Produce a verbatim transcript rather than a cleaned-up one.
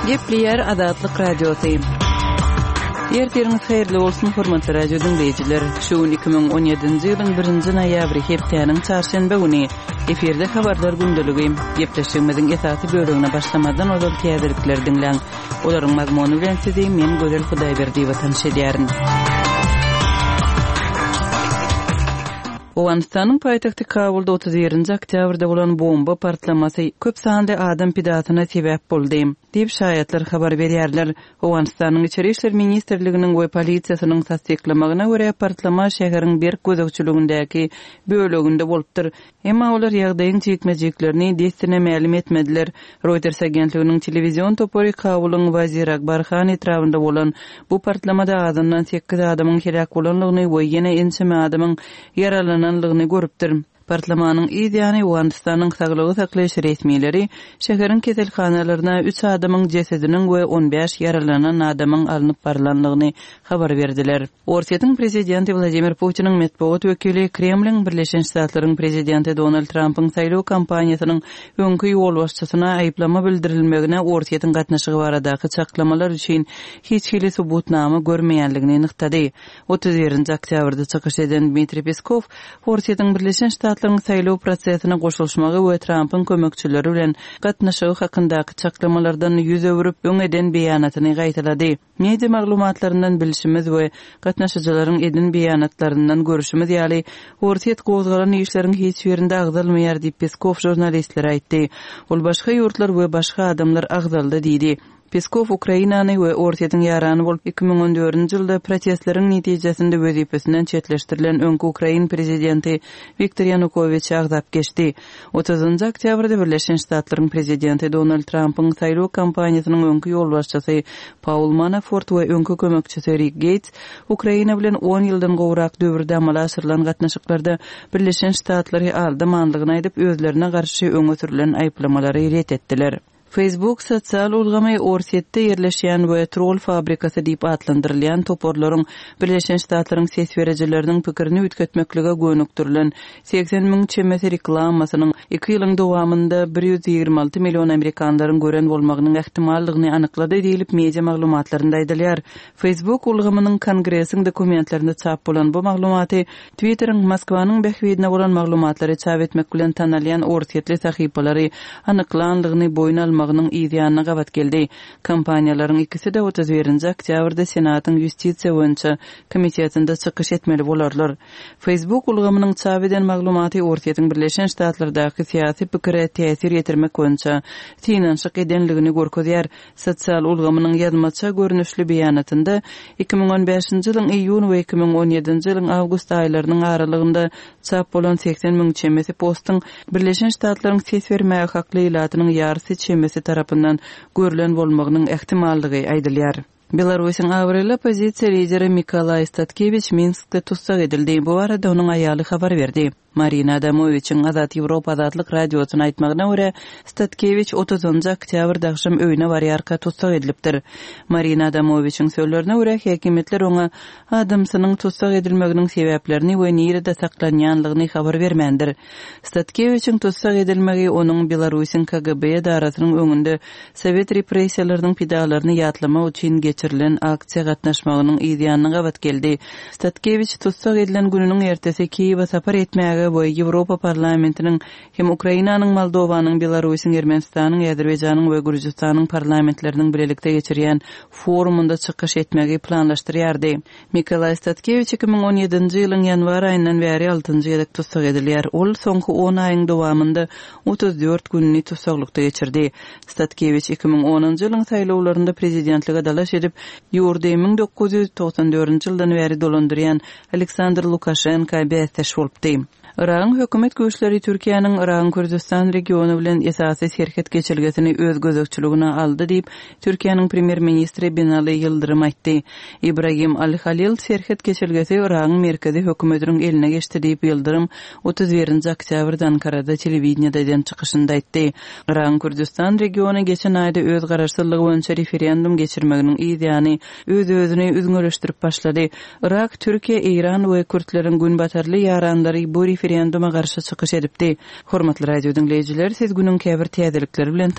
Gepleýär Azatlyk Radiosy. Ertiriňiz haýyrly bolsun, hormatly radio diňleýjiler. Şu gün iki müň on ýedinji ýylyň birinji noýabry, hepdäniň çarşenbe güni. Efirde habarlar gündeligi. Gepleşigimiziň esasy bölegine başlamazdan ozal täzelikleri diňläň. Olaryň mazmuny bilen sizi men Gözel Hudaýberdiýewa tanyş edýärin. Owganystanyň paýtagty Kabulda otuz birinji oktýabrda bolan bomba partlamasy köp sanly adam pidasyna sebäp boldy, diýip, şaýatlar habar berýärler. Owganystanyň Içeri işler ministrliginiň we polisiýasynyň tassyklamagyna görä, partlama şäheriň berk gözegçiligindäki böleginde bolupdyr. Emma olar ýagdaýyň jikme-jiklerini dessine mälim etmediler. Reuters agentliginiň telewizion topary Kabulyň Wazir Akbar Han etrabynda bolan bu partlamada azyndan sekiz adamyň heläk bolandygyny we ýene ençeme adamyň ýaralanandygyny görüpdir. Partlamanyň yz ýany Owganystanyň saglygy saklaýyş resmileri şäheriň keselhanalaryna üç adamyň jesediniň we on bäş ýaralanan adamyň alnyp barylandygyny habar berdiler. Orsýetiň prezidenti Wladimir Putiniň metbugat wekili Kremliň Birleşen Ştatlaryň prezidenti Donald Trampyň saýlaw kampaniýasynyň öňki ýolbaşçysyna aýyplama bildirilmegine Orsýetiň gatnaşygy baradaky çaklamalar üçin hiç hili subutnama görmeýänligini nygtady. Otuz birinji oktýabrda çykyş eden Dmitriý Peskow Orsýetiň Birleşen Ştatlaryň saýlaw prosesine goşulyşmagy we Trampyň kömekçileri bilen gatnaşygy hakyndaky çaklamalardan ýüz öwrüp, öň eden beýanatyny gaýtalady. Media maglumatlaryndan bilşimiz we gatnaşyjylaryň eden beýanatlaryndan görüşimiz ýaly, Orsýet gozgalan işleriň hiç birinde agzalmaýar diýip, Peskow žurnalistlere aýtdy. Ol başga ýurtlar we başga adamlar agzaldy diýdi. Peskow Ukrainany we Orsýetiň ýarany bolup iki müň on dördünji ýylda protestleriň netijesinde wezipesinden çetleşdirilen öňki ukrain prezidenti Wiktor Ýanukowiçi agzap geçdi. Otuzynjy oktýabrda Birleşen Ştatlaryň prezidenti Donald Trampyň saýlaw kampaniýasynyň öňki ýolbaşçysy Paul Manafort we öňki kömekçisi Rik Geýts Ukraina bilen on ýyldan gowrak döwürde amala aşyrylan gatnaşyklarda Birleşen Ştatlary aldamanlygyny aýdyp, özlerine garşy öňe sürülen aýyplamalary ret etdiler. Facebook sosial ulgamy Orsýetde ýerleşýän we troll fabrikasy diýip atlandyrylýan toparlaryň Birleşen Ştatlaryň ses berijileriniň pikirini üýtgetmeklige gönükdirilen segsen müň çemesi reklamasynyň iki ýylyň dowamynda bir ýüz ýigrimi alty million amerikanlaryň gören bolmagynyň ähtimallygyny anyklady diýlip media maglumatlarynda aýdylýar. Facebook ulgamynyň Kongresiň dokumentlerinde çap bolan bu maglumaty Twitteriň Moskwanyň bähbidine bolan maglumatlary çap etmek bilen tanalýan orsýetli sahypalary anyklanlygyny boýun almagynyň yz ýanyna gabat geldi. Kompaniýalaryň ikisi-de otuz birinji oktýabrda Senatyň Ýustisiýa boýunça komitetinde çykyş etmeli bolarlar. Facebook ulgamynyň çap eden maglumaty Orsýetiň Birleşen Ştatlardaky syýasy pikire täsir ýetirmek boýunça synanyşyk edenligini görkezýär. Sosial ulgamynyň ýazmaça görnüşli beýanatynda iki müň on bäşinji ýylyň iýun we iki müň on ýedinji ýylyň awgust aýlarynyň aralygynda çap bolan segsen müň çemesi postuň Birleşen Ştatlaryň ses bermäge hakly ilatynyň ýarysy çemesi tarapyndan görülen bolmagynyň ähtimallygy aýdylýar. Belarusyň abraýly oppozisiýa lideri Mikolaý Statkewiç Minskde tussag edildi. Bu barada onuň aýaly habar berdi. Marina Adamowiçiň Azat Ýewropa Azatlyk Radiosyna aýtmagyna görä, Statkewiç otuzynjy oktýabrda agşam öýüne barýarka tussag edilipdir. Marina Adamowiçiň sözlerine görä, häkimiýetler oňa adamsynyň tussag edilmeginiň sebäplerini we nirede saklanýanlygyny habar bermändir. Statkewiçiň tussag edilmegi onuň Belarusyň K G B edarasynyň öňünde sowet repressiýalarynyň pidalaryny ýatlamak üçin geçirilen aksiýa gatnaşmagynyň yz ýanyna gabat geldi. Statkewiç tussag edilen gününiň ertesi Kiýewe sapar etmäge we Ýewropa parlamentiniň hem Ukrainanyň, Moldowanyň, Belarusyň, Ermenistanyň, Azerbaýjanyň we Gürjüstanyň parlamentleriniň bilelikde geçirýän forumunda çykyş etmegi planlaşdyrýardy. Mikolaý Statkewiç iki müň on ýedinji ýylyň ýanwar aýyndan bäri altynjy gezek tussag edilýär. Ol soňky on aýyň dowamynda otuz dört gününi tussaglykda geçirdi. Statkewiç iki müň onunjy ýylyň saýlawlarynda prezidentlige dalaş edip, ýurdy müň dokuz ýüz togsan dördünji ýyldan bäri dolandyrýan Aleksandr Lukaşenko bäsdeş bolupdy. Yragyň hökümet güýçleri Türkiýäniň Yragyň Kürdistan regiony bilen esasy serhet geçelgesini öz gözegçiligine aldy diýip, Türkiýäniň premýer-ministri Binali Ýyldyrym aýtdy. Ibrahim Al-Halil serhet geçelgesi Yragyň merkezi hökümetiniň eline geçdi diýip, Ýyldyrym otuz birinji oktýabrda Ankarada telewideniýede eden çykyşynda aýtdy. Yragyň Kürdistan regiony geçen aýda öz garaşsyzlygy boýunça referendum geçirmeginiň yz ýany öz-özüni üzňeleşdirip başlady. Yrak, Türkiýe, Eýran we Kürtleriň günbatarly ýaranlary bu referenduma garşy çykyş edipdi. Hormatly radio diňleýjiler, siz günüň käbir täzelikleri bilen